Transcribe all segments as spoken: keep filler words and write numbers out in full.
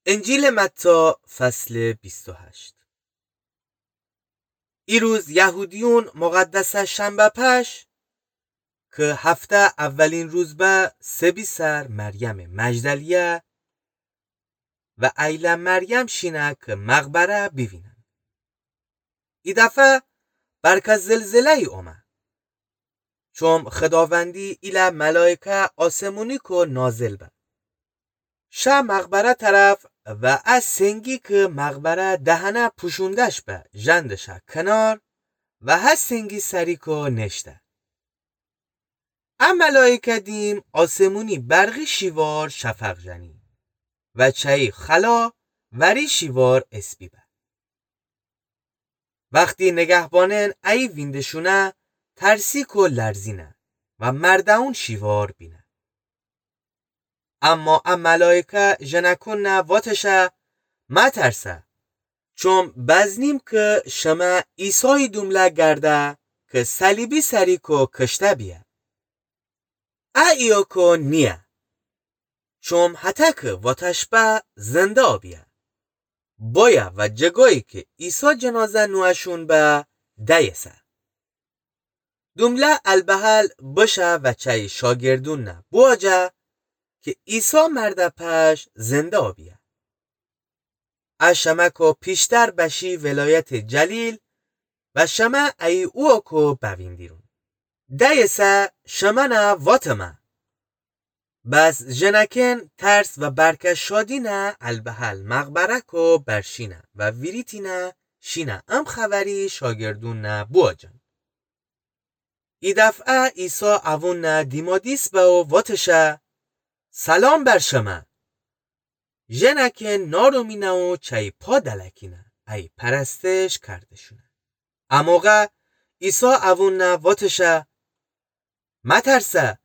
انجیلٚ متی، فصلٚ بیست و هشت. ایروز یهودیون مقدسٚ شنبه پش، کی هفته اولین روز به، سبی سر مریمٚ مجدلیه و ایله مریم شینه کی مقبره بیوینن. ای دفعه برکه زلزله‌یی اومه. چوم خداوندی ایله ملایکه آسمونیکو نازل به. شه مقبره طرف و ا سنگی کی مقبره دهنه پوشونده‌ش به ژنده‌شه کنار و هه سنگی سریکو نشته. ا ملایکه دیم آسمونی برقی شیوار شفق ژنی و چایی خلا وری شیوار اسپی به. وختی نگهبانأن ایی وینده‌شونه، ترسیکو لرزینه و مرده‌ون شیوار بینه. اما ا ملایکه ژنأکونٚ واتشه: مترسه، چوم بزنیم کی شمه عیسایی دومله گرده کی صلیبی سریکو کشته بیه. ا ایوکو نییه. چوم هتکی واتش به زنده بیه. بایه و جگایی کی عیسی جنازه نوأشون به دأیسه. دومله البحل بشه و چایی شاگردون بوآجه کی عیسی مرده پش زنده بیه. ا شمه‌کو پیشتر بشی ولایتٚ جلیل و شمه ایی اوکو بویندیرون. دأیسه شمنه واتمه. بس ژنأکن ترس و برکه شادینه البحل مقبره‌کو برشینه و ویریتینه شینه ام خبری شاگردون بوآجن. ای دفعه عیسی اوون دیمادیس به و واتشه: سلام بر شمه. ژنأکن نارمینه و چایی پا دلکینه، ایی پرستش کرده‌شونه. ا موقع عیسی اوون واتشه: مترسه،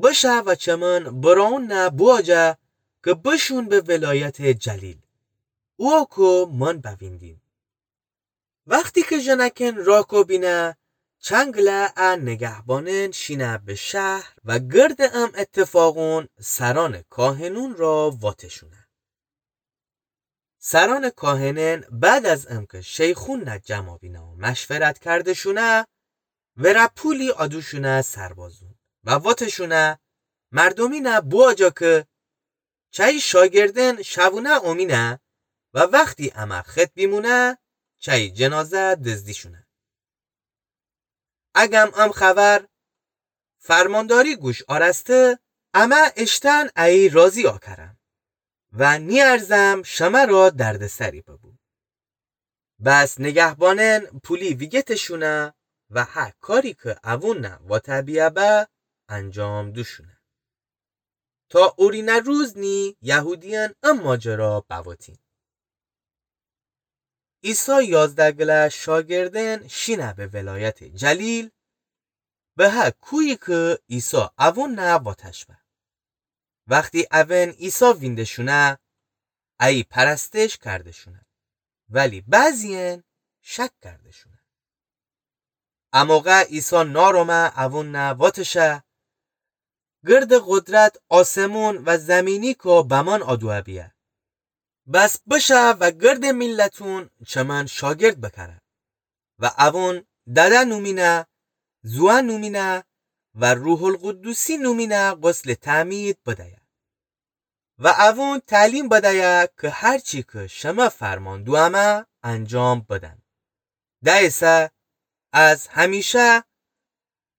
بشه و چمن برأون بوآجه کی بشون به ولایتٚ جلیل. اوکو من بویندیم. وختی کی ژنأکن راکو بینه، چنگله ا نگهبانأن شینه به شهر و گردٚ ام اتفاقون سرأنٚ کاهنون را واتشونه. سرأنٚ کاهنأن بعد از امکی شیخون جمع بینه و مشورت کرده‌شونه، وره پولی آدوشونه سربازون و واتشونه: مردومین بوآجه کی چایی شاگردأن شوونه اومینه و وختی امه خط بیمونه، چایی جنازه دزدیشونه. اگم ام خبر فرمانداری گوش آرسته، امه اشتأن ایی راضی آکرم و نیأرزم شمه را دردسری ببو. بس نگهبانأن پولی ویگتشونه و هه کاری کی اوون واته بیه به انجام دوشونه. تا اورینه روز نی یهودیأن ام ماجرا بواتین. عیسی یازده گله شاگردأن شینه به ولایتٚ جلیل، به هه کویی کی عیسی اوون واتش به. وختی اوئن عیسی وینده‌شونه، ایی پرستش کرده‌شونه، ولی بعضی‌یأن شک کرده‌شونه. ا موقع عیسی نارمه اوون واتشه: گرد قدرت آسمون و زیمینیکو بمأن آدوه بیه. بس بشه و گردٚ میلتون چمن شاگرد بکره و اوون دده نومینه، زوه نومینه و روح‌القدسی نومینه غسلٚ تعمید بدیه و اوون تعلیم بدیه کی هرچی کی شمه فرمان دومه انجام بدن. دأیسه از همیشه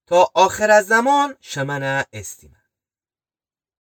تا آخرٚ زمان شمنه ایستیمه.